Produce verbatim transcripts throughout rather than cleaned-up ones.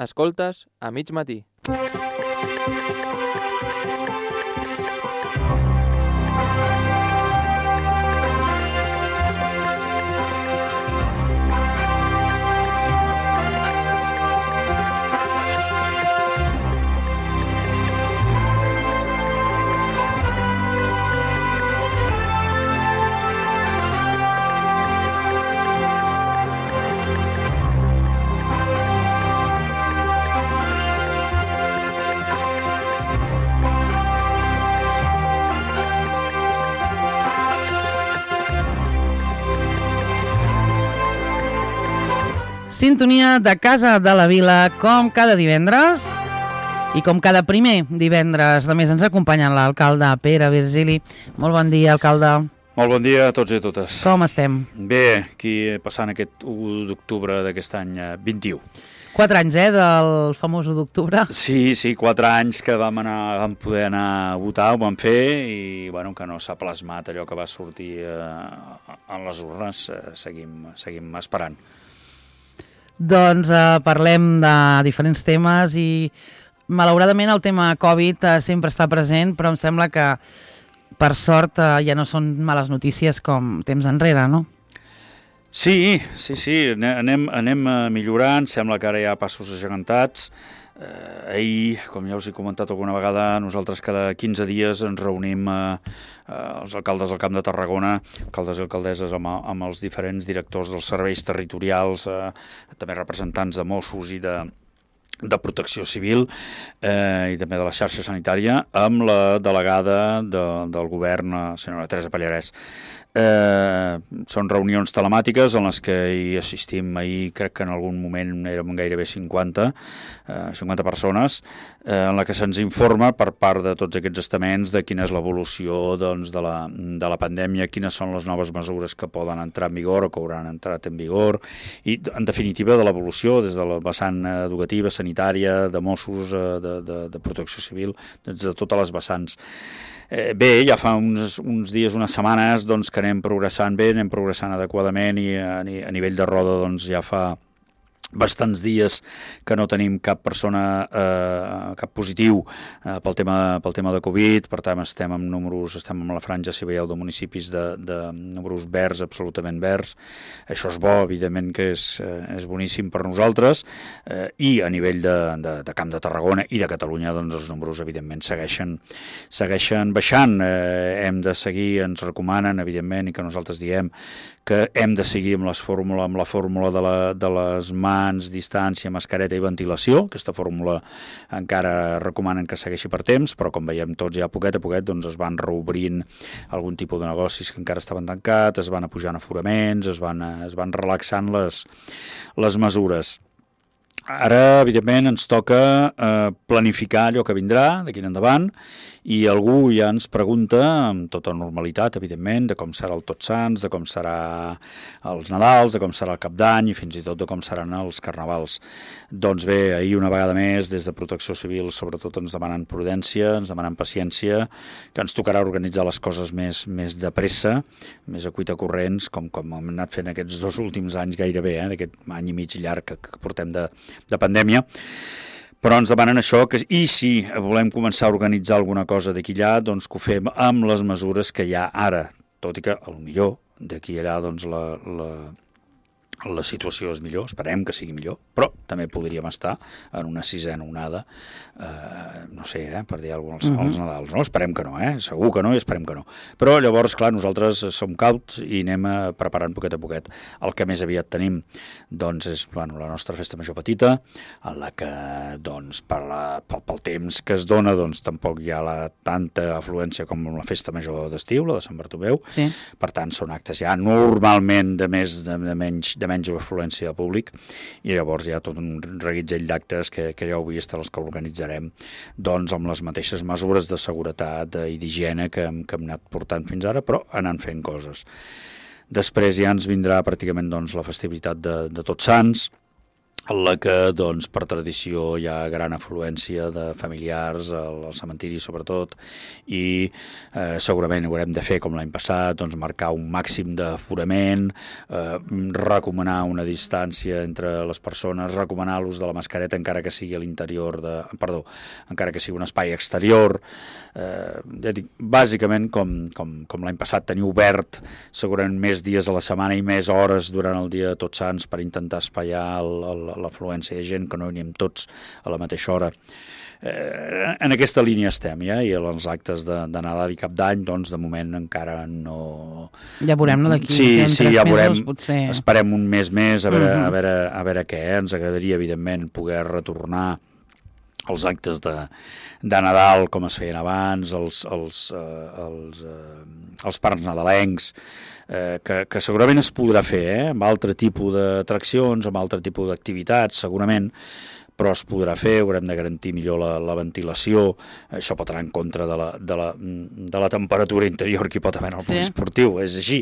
Escoltes a mig matí. Sintonia de Casa de la Vila, com cada divendres i com cada primer divendres. A més, ens acompanya l'alcalde Pere Virgili. Molt bon dia, alcalde. Molt bon dia a tots i a totes. Com estem? Bé, aquí passant aquest u d'octubre d'aquest any vint-i-u. Quatre anys, eh, del famós u d'octubre. Sí, sí, quatre anys que vam, anar, vam poder anar a votar, ho vam fer, i bueno, que no s'ha plasmat allò que va sortir eh, en les urnes. Eh, seguim, seguim esperant. Doncs eh, parlem de diferents temes i malauradament el tema Covid eh, sempre està present, però em sembla que per sort eh, ja no són males notícies com temps enrere, no? Sí, sí, sí, anem, anem millorant, sembla que ara hi ha passos agegantats. Eh, ahir, com ja us he comentat alguna vegada, nosaltres cada quinze dies ens reunim eh, eh, els alcaldes del Camp de Tarragona, alcaldes i alcaldesses amb, amb els diferents directors dels serveis territorials, eh, també representants de Mossos i de, de Protecció Civil eh, i també de la xarxa sanitària, amb la delegada de, del govern, la senyora Teresa Pallarès. Eh, són reunions telemàtiques en les que hi assistim. Ahir crec que en algun moment érem gairebé cinquanta, eh, cinquanta persones, eh, en la que se'ns informa per part de tots aquests estaments de quina és l'evolució doncs, de, la, de la pandèmia, quines són les noves mesures que poden entrar en vigor o que hauran entrat en vigor, i en definitiva de l'evolució des de la vessant educativa, sanitària, de Mossos, de, de, de Protecció Civil, des de totes les vessants. Eh, bé, ja fa uns, uns dies, unes setmanes, doncs, que anem progressant bé, anem progressant adequadament, i a, a nivell de roda doncs, ja fa bastants dies que no tenim cap persona, eh, cap positiu eh, pel, tema, pel tema de Covid. Per tant, estem amb números, estem amb la franja, si veieu, de municipis de, de números verds, absolutament verds. Això és bo, evidentment que és, eh, és boníssim per nosaltres, eh, i a nivell de, de, de Camp de Tarragona i de Catalunya, doncs els números evidentment segueixen, segueixen baixant. Eh, hem de seguir, ens recomanen, evidentment, i que nosaltres diem que hem de seguir amb, les fórmula, amb la fórmula de, la, de les mans, distància, mascareta i ventilació. Aquesta fórmula encara recomanen que segueixi per temps, però com veiem tots ja poquet a poquet doncs es van reobrint algun tipus de negocis que encara estaven tancats, es van apujant aforaments, es van, es van relaxant les, les mesures. Ara, evidentment, ens toca eh, planificar allò que vindrà d'aquí en endavant, i algú ja ens pregunta, amb tota normalitat, evidentment, de com serà el Tots Sants, de com serà els Nadals, de com serà el Cap d'Any i fins i tot de com seran els Carnavals. Doncs bé, ahir una vegada més, des de Protecció Civil, sobretot ens demanen prudència, ens demanen paciència, que ens tocarà organitzar les coses més, més de pressa, més a cuita corrents, com, com hem anat fent aquests dos últims anys gairebé, eh, d'aquest any i mig llarg que, que portem de, de pandèmia. Però ens demanen això, que, i si volem començar a organitzar alguna cosa d'aquí allà, doncs que ho fem amb les mesures que hi ha ara, tot i que potser d'aquí allà doncs, la, la, la situació és millor, esperem que sigui millor, però també podríem estar en una sisena onada, eh, no sé, eh, per dir alguna cosa, als, als Nadals, no? Esperem que no, eh? Segur que no i esperem que no. Però llavors, clar, nosaltres som cauts i anem preparant poquet a poquet. El que més aviat tenim, doncs, és bueno, la nostra festa major petita, en la que, doncs, per la, pel, pel temps que es dona, doncs, tampoc hi ha la, tanta afluència com la festa major d'estiu, la de Sant Bartomeu. Sí. Per tant, són actes ja normalment de més de, de menys de menys afluència de públic, i llavors hi ha tot un reguitzell d'actes que, que ja heu vist, els que organitzarem doncs amb les mateixes mesures de seguretat i d'higiene que, que hem anat portant fins ara, però anant fent coses. Després ja ens vindrà pràcticament doncs, la festivitat de, de Tots Sants, en la que, doncs, per tradició hi ha gran afluència de familiars al, al cementiri, sobretot, i eh, segurament haurem de fer, com l'any passat, doncs, marcar un màxim d'aforament, eh, recomanar una distància entre les persones, recomanar l'ús de la mascareta encara que sigui a l'interior de... Perdó, encara que sigui un espai exterior. Eh, ja dic, bàsicament, com, com, com l'any passat, tenir obert segurament més dies a la setmana i més hores durant el dia de Tots Sants per intentar espaiar el, el l'afluència de gent, que no hi anem tots a la mateixa hora. Eh, en aquesta línia estem, ja, i els actes de, de Nadal i Cap d'Any, doncs, de moment encara no... Ja veurem, no?, d'aquí sí, sí, ja veurem. Mesos, potser... Esperem un mes més, a veure, uh -huh. a veure, a veure què. Eh? Ens agradaria, evidentment, poder retornar els actes de, de Nadal, com es feien abans, els, els, eh, els, eh, els parcs nadalencs, eh, que, que segurament es podrà fer, eh? Amb altre tipus d'atraccions, amb altre tipus d'activitats, segurament, però es podrà fer, haurem de garantir millor la, la ventilació, això pot anar en contra de la, de la, de la temperatura interior que hi pot haver en el sí. esportiu, és així,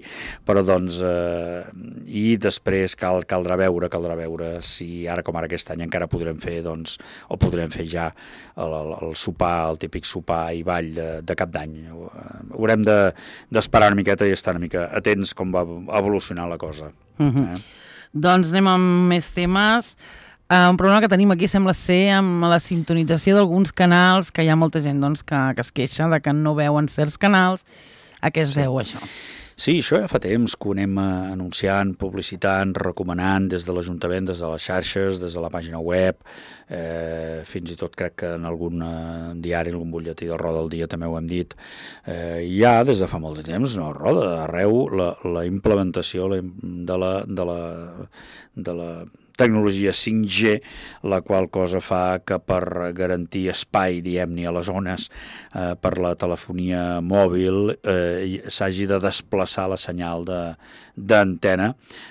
però doncs, eh, i després cal, caldrà veure, caldrà veure si ara com ara aquest any encara podrem fer, doncs, o podrem fer ja el, el, el sopar, el típic sopar i ball de, de Cap d'Any. Haurem de, d'esperar una miqueta i estar una mica atents com va evolucionar la cosa. Uh -huh. eh? Doncs anem amb més temes. Uh, un problema que tenim aquí sembla ser amb la sintonització d'alguns canals, que hi ha molta gent doncs, que, que es queixa de que no veuen certs canals. A què es sí. deu això? Sí, això ja fa temps que ho anem anunciant, publicitant, recomanant des de l'Ajuntament, des de les xarxes, des de la pàgina web, eh, fins i tot crec que en algun eh, diari, en algun butlletí del Roda del Dia també ho hem dit. Eh, ja des de fa molt de temps, no, Roda, arreu la, la implementació la, de la... De la, de la tecnologia cinc G, la qual cosa fa que per garantir espai, diguem-ne, a les zones eh, per la telefonia mòbil eh, s'hagi de desplaçar la senyal de d'antena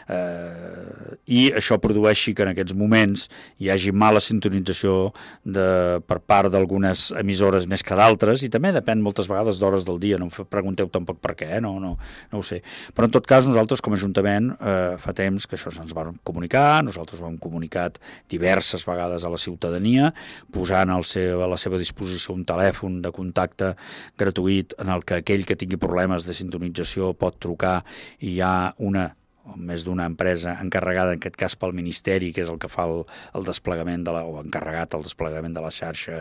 eh, i això produeixi que en aquests moments hi hagi mala sintonització de, per part d'algunes emissores més que d'altres, i també depèn moltes vegades d'hores del dia, no em pregunteu tampoc per què, eh? no, no, no ho sé. Però en tot cas nosaltres com a Ajuntament eh, fa temps que això se'ns va comunicar, nosaltres ho hem comunicat diverses vegades a la ciutadania, posant al seu, a la seva disposició un telèfon de contacte gratuït en el que aquell que tingui problemes de sintonització pot trucar i hi ha una o més d'una empresa encarregada, en aquest cas pel Ministeri, que és el que fa el, el desplegament, de la, o encarregat el desplegament de la xarxa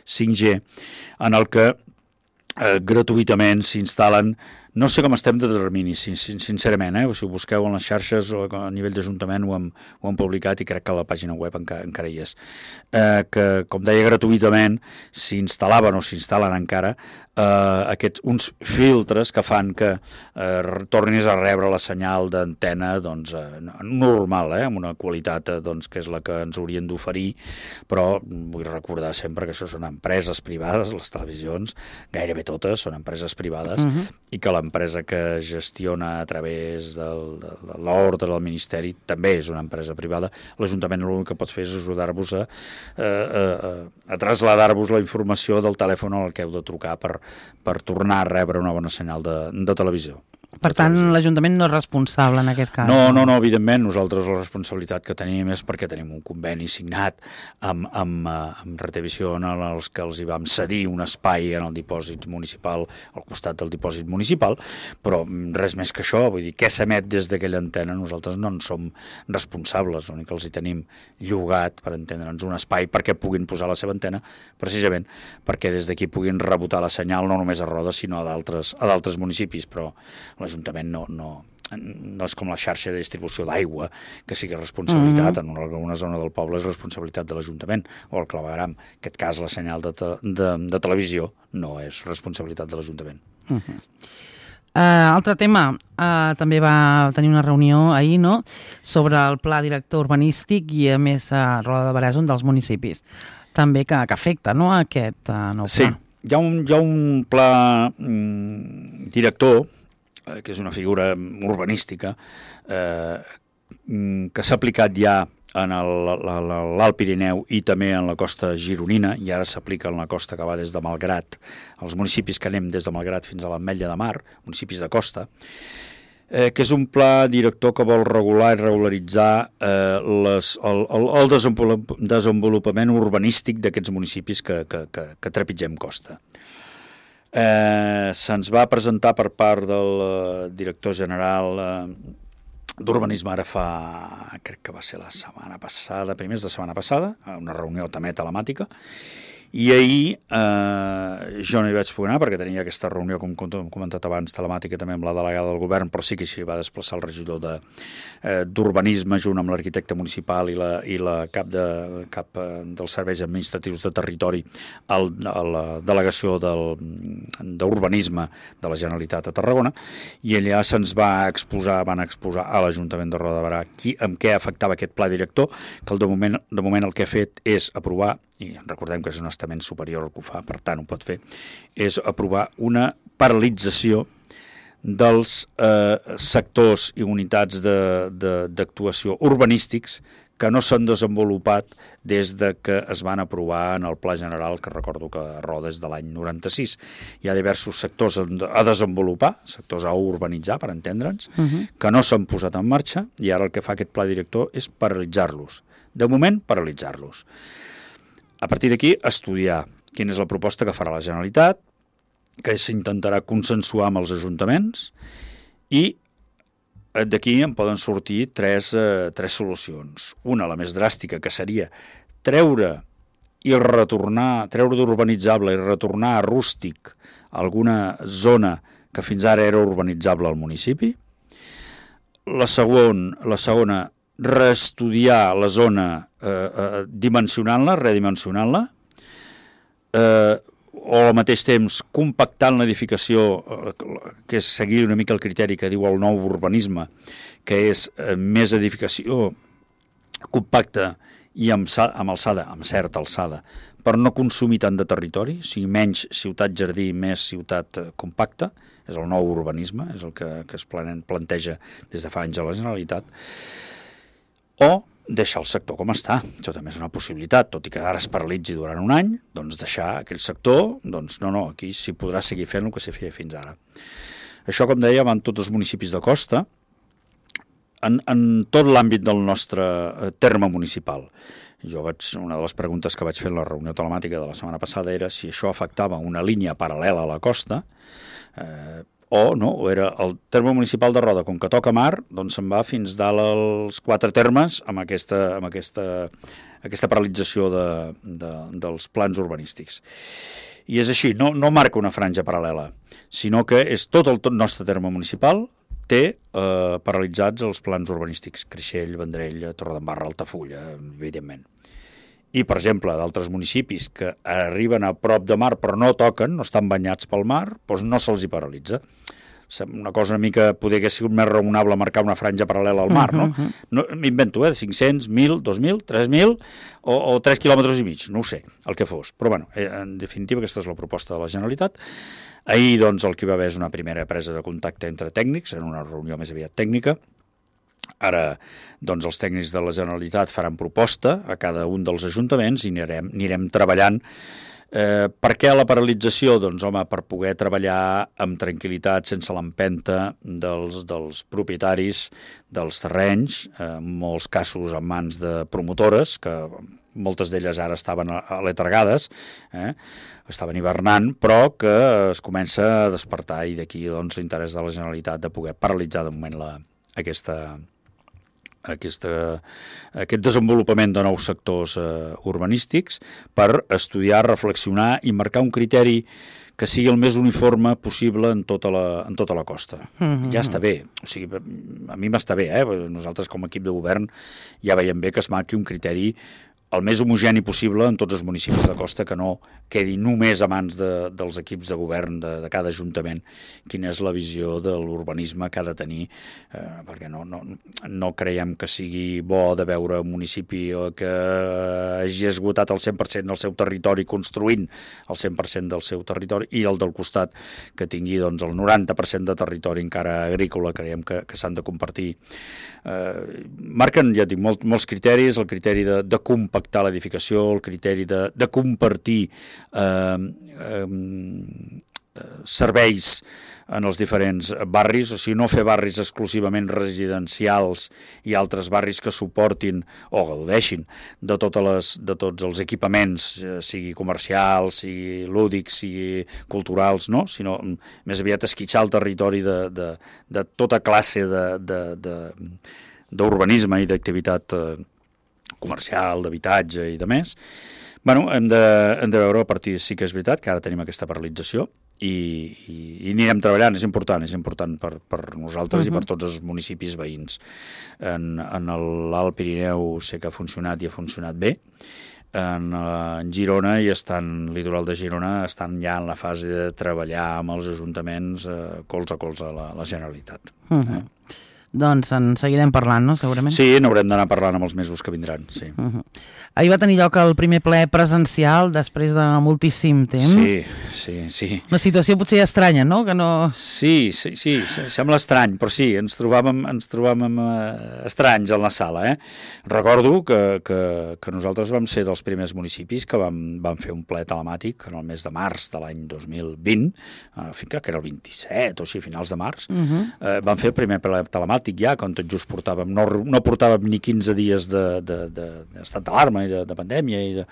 cinc G, en el que eh, gratuïtament s'instal·len. No sé com estem de termini, sincerament, eh? Si ho busqueu en les xarxes o a nivell d'Ajuntament ho, hem, ho hem publicat i crec que a la pàgina web encara, encara hi és. Eh, que, com deia, gratuïtament s'instal·laven o s'instal·len encara eh, aquests, uns filtres que fan que eh, tornis a rebre la senyal d'antena doncs, eh, normal, eh, amb una qualitat eh, doncs, que és la que ens haurien d'oferir, però vull recordar sempre que això són empreses privades, les televisions, gairebé totes són empreses privades, uh-huh. i que l'empresa que gestiona a través del, de, de l'ordre del Ministeri també és una empresa privada. L'Ajuntament l'únic que pot fer és ajudar-vos a, a, a, a traslladar-vos la informació del telèfon al que heu de trucar per, per tornar a rebre una bona senyal de, de televisió. Per tant, l'Ajuntament no és responsable en aquest cas. No, no, no, evidentment, nosaltres la responsabilitat que tenim és perquè tenim un conveni signat amb, amb, amb Retevisió en els que els hi vam cedir un espai en el dipòsit municipal, al costat del dipòsit municipal, però res més que això, vull dir, què s'emet des d'aquella antena, nosaltres no en som responsables, l'únic que els hi tenim llogat, per entendre'ns, un espai perquè puguin posar la seva antena, precisament perquè des d'aquí puguin rebotar la senyal no només a Roda, sinó a d'altres a d'altres municipis, però l'Ajuntament no, no, no és com la xarxa de distribució d'aigua, que sí que és responsabilitat, mm-hmm. en alguna zona del poble és responsabilitat de l'Ajuntament, o el clavegram. En aquest cas, la senyal de, te, de, de televisió no és responsabilitat de l'Ajuntament. Mm-hmm. Uh, altre tema, uh, també va tenir una reunió ahir, no?, sobre el pla director urbanístic i, a més, a Roda de Berà és un dels municipis també que, que afecta, no?, aquest uh, nou pla. Sí, hi ha un, hi ha un pla mm, director, que és una figura urbanística, eh, que s'ha aplicat ja en l'Alt Pirineu i també en la costa gironina, i ara s'aplica en la costa que va des de Malgrat, els municipis que anem des de Malgrat fins a l'Ametlla de Mar, municipis de costa. eh, que és un pla director que vol regular i regularitzar eh, les, el, el, el desenvolupament urbanístic d'aquests municipis que, que, que, que trepitgem costa. Eh, se'ns va presentar per part del eh, director general eh, d'Urbanisme ara fa, crec que va ser la setmana passada, primers de setmana passada, una reunió també telemàtica, i ahir eh, jo no hi vaig poder anar perquè tenia aquesta reunió, com hem comentat abans, telemàtica també amb la delegada del govern, però sí que s'hi va desplaçar el regidor de, eh, d'Urbanisme junt amb l'arquitecte municipal i la, i la cap, de, cap eh, dels serveis administratius de territori al, a la delegació del, d'Urbanisme de la Generalitat a Tarragona, i allà se'ns va exposar, van exposar a l'Ajuntament de Roda de Berà qui, amb què afectava aquest pla director, que de moment, de moment el que ha fet és aprovar, i recordem que és un estament superior al que ho fa, per tant ho pot fer, és aprovar una paralització dels eh, sectors i unitats de, de, d'actuació urbanístics que no s'han desenvolupat des de que es van aprovar en el Pla General, que recordo que a Roda és de l'any noranta-sis. Hi ha diversos sectors a desenvolupar, sectors a urbanitzar, per entendre'ns, uh-huh. que no s'han posat en marxa, i ara el que fa aquest pla director és paralitzar-los. De moment, paralitzar-los. A partir d'aquí, estudiar quina és la proposta que farà la Generalitat, que s'intentarà consensuar amb els ajuntaments, i d'aquí en poden sortir tres, eh, tres solucions. Una, la més dràstica, que seria treure i retornar, treure d'urbanitzable i retornar a rústic alguna zona que fins ara era urbanitzable al municipi. La, segon, la segona, reestudiar la zona eh, eh, dimensionant-la, redimensionant-la, eh, o al mateix temps compactant l'edificació, eh, que és seguir una mica el criteri que diu el nou urbanisme, que és eh, més edificació compacta i amb, amb alçada, amb certa alçada, per no consumir tant de territori, o sigui, menys ciutat-jardí, més ciutat compacta, és el nou urbanisme, és el que, que es planteja des de fa anys a la Generalitat, o deixar el sector com està. Això també és una possibilitat, tot i que ara es paralitzi durant un any, doncs deixar aquell sector, doncs no, no, aquí s'hi podrà seguir fent el que s'hi feia fins ara. Això, com deia, van tots els municipis de costa, en, en tot l'àmbit del nostre terme municipal. Jo vaig, una de les preguntes que vaig fer en la reunió telemàtica de la setmana passada era si això afectava una línia paral·lela a la costa, eh, o no, o era el terme municipal de Roda, com que toca mar, doncs se'n va fins dalt als quatre termes amb aquesta, amb aquesta, aquesta paralització de, de, dels plans urbanístics. I és així, no, no marca una franja paral·lela, sinó que és tot el tot nostre terme municipal té eh, paralitzats els plans urbanístics, Creixell, Vendrell, Torredembarra, Altafulla, evidentment. I, per exemple, d'altres municipis que arriben a prop de mar però no toquen, no estan banyats pel mar, doncs no se'ls hi paralitza. Una cosa una mica, poder hagués sigut més raonable marcar una franja paral·lela al mar, no? no M'invento, eh? cinc-cents, mil, dos mil, tres mil o, o tres quilòmetres i mig, no ho sé, el que fos. Però, bueno, en definitiva, aquesta és la proposta de la Generalitat. Ahir, doncs, el que hi va haver és una primera presa de contacte entre tècnics, en una reunió més aviat tècnica. Ara, doncs, els tècnics de la Generalitat faran proposta a cada un dels ajuntaments i anirem, anirem treballant. Eh, per què la paralització? Doncs, home, per poder treballar amb tranquil·litat, sense l'empenta dels, dels propietaris dels terrenys, eh, en molts casos en mans de promotores, que moltes d'elles ara estaven aletargades, eh, estaven hivernant, però que es comença a despertar, i d'aquí doncs, l'interès de la Generalitat de poder paralitzar de moment la, aquesta... Aquesta, aquest desenvolupament de nous sectors eh, urbanístics per estudiar, reflexionar i marcar un criteri que sigui el més uniforme possible en tota la, en tota la costa. Mm-hmm. Ja està bé, o sigui, a mi m'està bé, eh? Nosaltres com a equip de govern ja veiem bé que es marqui un criteri el més homogeni possible en tots els municipis de costa, que no quedi només a mans de, dels equips de govern de, de cada ajuntament quina és la visió de l'urbanisme que ha de tenir, eh, perquè no, no, no creiem que sigui bo de veure un municipi que hagi esgotat el cent per cent del seu territori construint el cent per cent del seu territori i el del costat que tingui doncs, el noranta per cent de territori encara agrícola. Creiem que, que s'han de compartir. Eh, marquen, ja dic, molt, molts criteris, el criteri de, de compactar l'edificació, el criteri de, de compartir eh, eh, serveis en els diferents barris, o sigui, no fer barris exclusivament residencials i altres barris que suportin o gaudeixin de, totes les, de tots els equipaments, eh, sigui comercials, sigui lúdics, sigui culturals, no? Sinó més aviat esquitxar el territori de, de, de tota classe d'urbanisme i d'activitat eh, comercial, d'habitatge i de més. Bueno, hem de, hem de veure a partir, sí que és veritat que ara tenim aquesta paralització, I, i, i anirem treballant, és important, és important per, per nosaltres uh-huh. i per tots els municipis veïns. En, en l'Alt Pirineu sé que ha funcionat i ha funcionat bé, en, en Girona i estan, litoral de Girona, estan ja en la fase de treballar amb els ajuntaments eh, colze a colze a la, la Generalitat. Uh-huh. eh? Doncs en seguirem parlant, no?, segurament? Sí, n'haurem d'anar parlant amb els mesos que vindran, sí. Uh-huh. Ahir va tenir lloc el primer ple presencial després de moltíssim temps. Sí, sí, sí. Una situació potser estranya, no? Que no... Sí, sí, sí, sembla estrany, però sí, ens trobàvem, ens trobàvem eh, estranys en la sala, eh? Recordo que, que, que nosaltres vam ser dels primers municipis que vam, vam fer un ple telemàtic en el mes de març de l'any dos mil vint, eh, crec que era el vint-i-set o així, finals de març, uh-huh. eh, vam fer el primer ple telemàtic ja, quan tot just portàvem, no, no portàvem ni quinze dies d'estat de, de, de, d'alarma i de, de pandèmia i de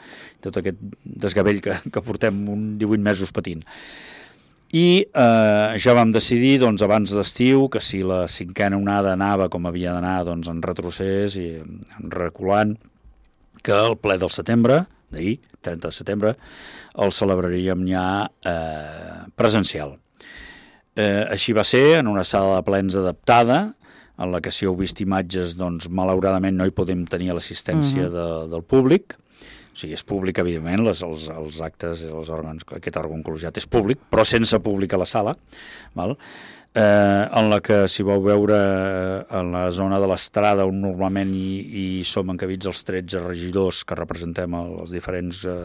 tot aquest desgavell que, que portem un divuit mesos patint. I eh, ja vam decidir, doncs, abans d'estiu, que si la cinquena onada anava com havia d'anar, doncs, en retrocés i en reculant, que el ple del setembre, d'ahir, trenta de setembre, el celebraríem ja eh, presencial. Eh, així va ser, en una sala de plens adaptada, en la que si heu vist imatges, doncs, malauradament no hi podem tenir l'assistència uh-huh. de, del públic. O sigui, és públic, evidentment, les, els, els actes, els òrgans, aquest òrgan col·legiat és públic, però sense públic a la sala, val? Eh, en la que, si vau veure, en la zona de l'estrada on normalment hi, hi som encabits els tretze regidors que representem els diferents eh,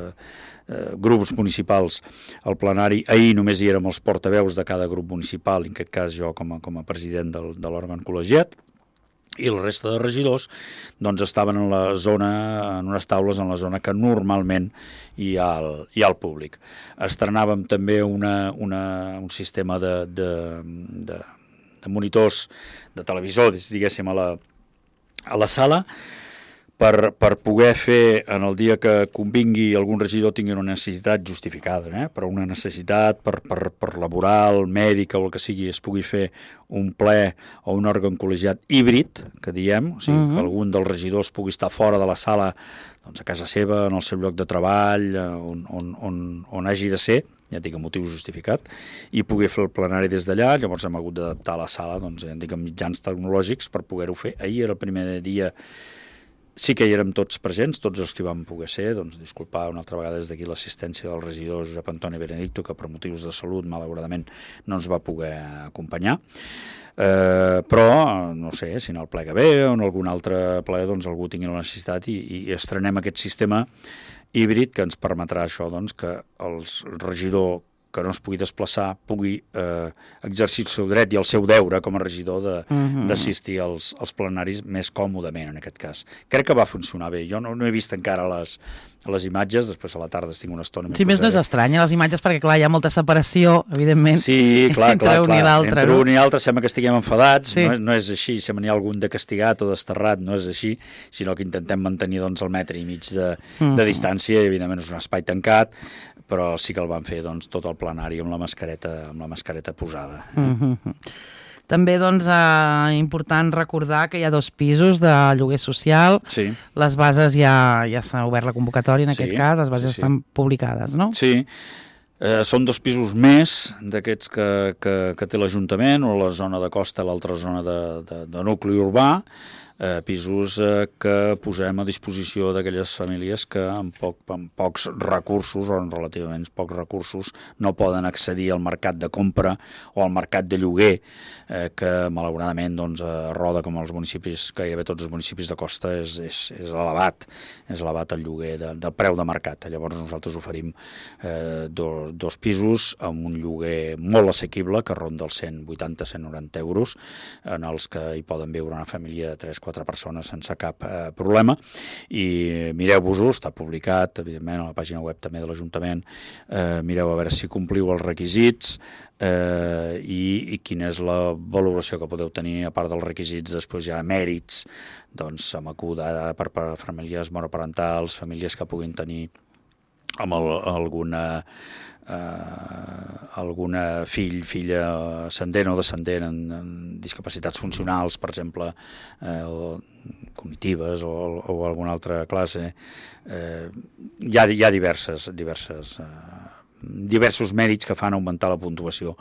eh, grups municipals al plenari, ahir només hi érem els portaveus de cada grup municipal, en aquest cas jo com a, com a president del, de l'òrgan col·legiat, i la resta de regidors doncs estaven en la zona, en unes taules en la zona que normalment hi ha el, hi ha el públic. Estrenàvem també una, una, un sistema de, de, de, de monitors de televisor, diguéssim, a la, a la sala, per, per poder fer, en el dia que convingui algun regidor tingui una necessitat justificada, eh? però una necessitat per, per, per laboral, mèdica o el que sigui, es pugui fer un ple o un òrgan col·legiat híbrid, que diem, o sigui, uh-huh. que algun dels regidors pugui estar fora de la sala, doncs a casa seva, en el seu lloc de treball, on, on, on, on hagi de ser, ja dic, amb motiu justificat, i pugui fer el plenari des d'allà. Llavors hem hagut d'adaptar la sala, doncs, ja dic, amb mitjans tecnològics per poder-ho fer. Ahir era el primer dia. Sí que hi érem tots presents, tots els que vam poder ser, doncs disculpar una altra vegada des d'aquí l'assistència del regidor Josep Antoni Benedicto, que per motius de salut, malauradament, no ens va poder acompanyar. Eh, però, no sé, si en el ple que ve o en algun altre ple, doncs algú tingui la necessitat i, i estrenem aquest sistema híbrid que ens permetrà això, doncs, que el regidor que no es pugui desplaçar pugui eh, exercir el seu dret i el seu deure com a regidor d'assistir uh-huh. als, als plenaris més còmodament, en aquest cas. Crec que va funcionar bé. Jo no, no he vist encara les, les imatges, després a la tarda estic una estona... Sí, més no és estranya, les imatges, perquè clar, hi ha molta separació, evidentment, sí, clar, entre clar, un clar. i l'altre. Entre no? un i l'altre sembla que estiguem enfadats, sí. no, no és així, sembla n'hi ha algun de castigat o desterrat, no és així, sinó que intentem mantenir doncs, el metre i mig de, uh-huh. de distància, i evidentment és un espai tancat, però sí que el van fer doncs, tot el plenari amb la mascareta, amb la mascareta posada. Uh-huh. També doncs, eh, important recordar que hi ha dos pisos de lloguer social. Sí. Les bases ja, ja s'ha obert la convocatòria, en sí, aquest cas, les bases sí, sí. estan publicades, no? Sí, eh, són dos pisos més d'aquests que, que, que té l'Ajuntament, o la zona de costa, l'altra zona de, de, de nucli urbà, Eh, pisos eh, que posem a disposició d'aquelles famílies que amb, poc, amb pocs recursos o amb relativament pocs recursos no poden accedir al mercat de compra o al mercat de lloguer, eh, que malauradament doncs, a Roda, com els municipis, gairebé tots els municipis de costa, és, és, és elevat, és elevat el lloguer de, del preu de mercat. Llavors nosaltres oferim eh, dos, dos pisos amb un lloguer molt assequible, que ronda els cent vuitanta a cent noranta euros, en els que hi poden viure una família de tres quatre persones sense cap eh, problema, i mireu-vos-ho, està publicat, evidentment, a la pàgina web també de l'Ajuntament, eh, mireu a veure si compliu els requisits, eh, i, i quina és la valoració que podeu tenir, a part dels requisits, després hi ha mèrits, doncs, amb acudada per, per famílies monoparentals, famílies que puguin tenir amb el, alguna... Uh, alguna fill, filla ascendent o descendent en, en discapacitats funcionals, per exemple, eh, o cognitives o, o alguna altra classe. Eh, hi ha, hi ha diverses, diverses, eh, diversos mèrits que fan augmentar la puntuació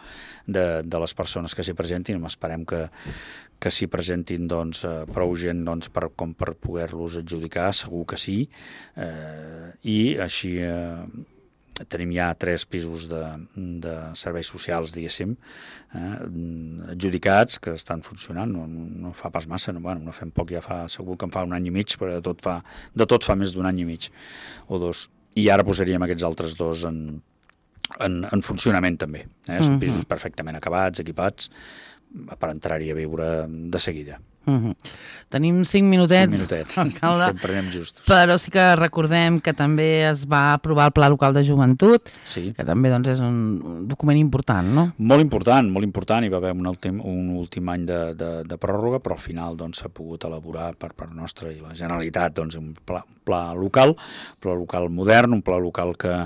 de, de les persones que s'hi presentin. Esperem que, que s'hi presentin doncs, eh, prou gent doncs, per, com per poder-los adjudicar, segur que sí, eh, i així... Eh, tenim ja tres pisos de, de serveis socials, diguéssim, eh, adjudicats, que estan funcionant, no, no fa pas massa, no, bueno, no fem poc, ja fa, segur que en fa un any i mig, però de tot fa, de tot fa més d'un any i mig o dos, i ara posaríem aquests altres dos en, en, en funcionament també, eh? Són pisos perfectament acabats, equipats, per entrar-hi a viure de seguida. Uh-huh. Tenim cinc minutets, cinc minutets. alcalde, sempre anem justos. Però sí que recordem que també es va aprovar el Pla Local de Joventut, sí. que també doncs, és un document important, no? Molt important, molt important. Hi va haver un últim, un últim any de, de, de pròrroga, però al final doncs, s'ha pogut elaborar per part nostra i la Generalitat doncs, un pla, pla local, un pla local modern, un pla local que,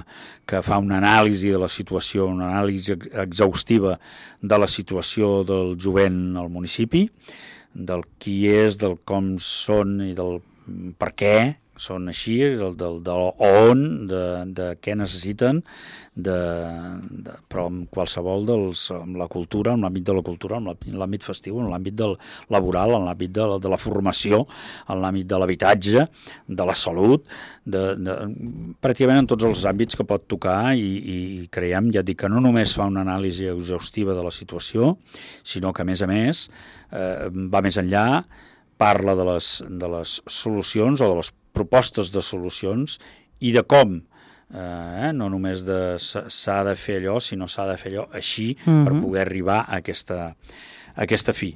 que fa una anàlisi de la situació, una anàlisi exhaustiva de la situació del jovent al municipi, del qui és, del com són i del per què són així, del, del, del on, de, de què necessiten, de, de, però amb qualsevol dels, amb la cultura, amb l'àmbit de la cultura, amb l'àmbit festiu, en l'àmbit del laboral, en l'àmbit de, de la formació, en l'àmbit de l'habitatge, de la salut, de, de, pràcticament en tots els àmbits que pot tocar i, i creiem, ja dic, que no només fa una anàlisi exhaustiva de la situació, sinó que a més a més eh, va més enllà, parla de les, de les solucions o de les propostes de solucions i de com, eh, no només de s'ha de fer allò, sinó s'ha de fer allò així uh-huh. per poder arribar a aquesta, a aquesta fi.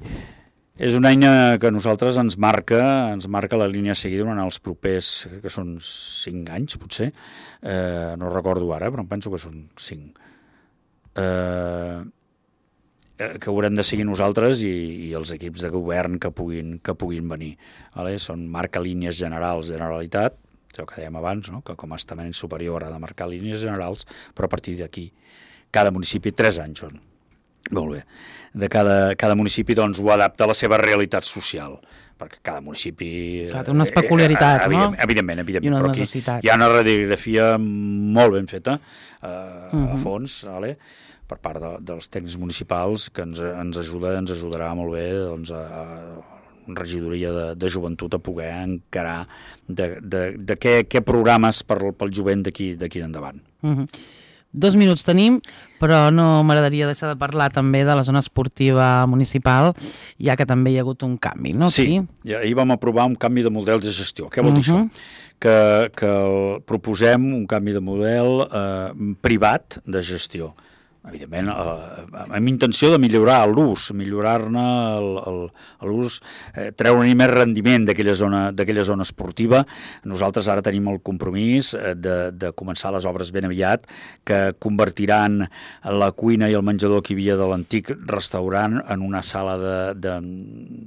És una eina que a nosaltres ens marca, ens marca la línia seguida durant els propers, que són cinc anys, potser, eh, no recordo ara, però em penso que són cinc. Eh... que haurem de seguir nosaltres i, i els equips de govern que puguin, que puguin venir. Vale? Són marca línies generals, Generalitat, el que dèiem abans, no? Que com a estament superior ha de marcar línies generals, però a partir d'aquí, cada municipi, tres anys són. Molt bé. De cada, cada municipi doncs, ho adapta a la seva realitat social, perquè cada municipi... Clar, té unes peculiaritats, eh, evident, no? Evidentment, evidentment. I unes però aquí necessitats. hi ha una radiografia molt ben feta, eh, uh-huh. a fons, vale? Per part de, dels tècnics municipals, que ens, ens ajuda, ens ajudarà molt bé doncs, a, a regidoria de, de joventut a poder encarar de, de, de què, què programes per, pel jovent d'aquí endavant. Uh-huh. Dos minuts tenim, però no m'agradaria deixar de parlar també de la zona esportiva municipal, ja que també hi ha hagut un canvi, no? Sí, sí. Ahir vam aprovar un canvi de model de gestió. Què vol dir uh-huh. això? Que, que proposem un canvi de model eh, privat de gestió. Evidentment, eh, amb intenció de millorar l'ús, millorar-ne l'ús, eh, treure-hi més rendiment d'aquella zona, d'aquella zona esportiva. Nosaltres ara tenim el compromís de, de començar les obres ben aviat, que convertiran la cuina i el menjador que hi havia de l'antic restaurant en una sala de, de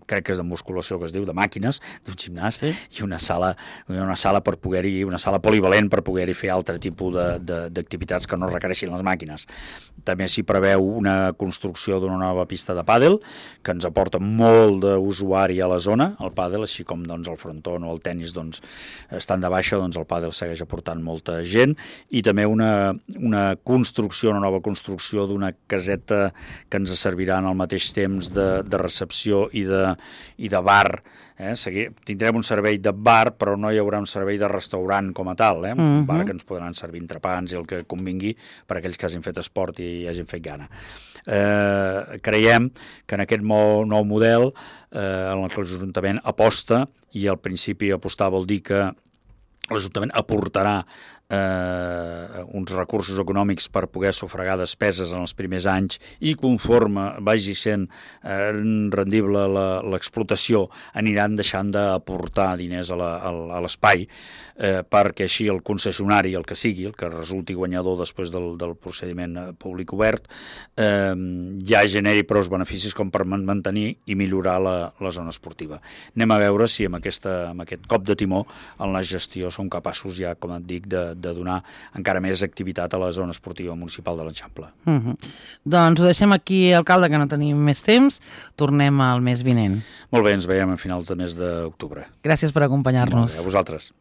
crec que és de musculació, que es diu, de màquines, d'un gimnàs, sí. i una sala, una sala per poder-hi, una sala polivalent per poder-hi fer altre tipus d'activitats que no requereixin les màquines. També s'hi preveu una construcció d'una nova pista de pàdel, que ens aporta molt d'usuari a la zona, el pàdel, així com doncs, el fronton o el tennis doncs, estan de baixa, doncs el pàdel segueix aportant molta gent, i també una, una construcció, una nova construcció d'una caseta que ens servirà en el mateix temps de, de recepció i de, i de bar. Eh? Seguir, tindrem un servei de bar, però no hi haurà un servei de restaurant com a tal, eh? un uh-huh. bar que ens podran servir entrepans i el que convingui per a aquells que hagin fet esport i hagin fet gana. Eh, creiem que en aquest nou model eh, en el que l'Ajuntament aposta, i al principi apostar vol dir que l'Ajuntament aportarà eh, uns recursos econòmics per poder sufragar despeses en els primers anys i conforme vagi sent eh, rendible l'explotació aniran deixant d'aportar diners a l'espai eh, perquè així el concessionari, el que sigui, el que resulti guanyador després del, del procediment públic obert, eh, ja generi prou beneficis com per mantenir i millorar la, la zona esportiva. Anem a veure si amb, aquesta, amb aquest cop de timó en la gestió som capaços ja, com et dic, de, de donar encara més activitat a la zona esportiva municipal de l'Eixample. Uh -huh. Doncs ho deixem aquí, alcalde, que no tenim més temps. Tornem al mes vinent. Molt bé, ens veiem a finals de mes d'octubre. Gràcies per acompanyar-nos. A vosaltres.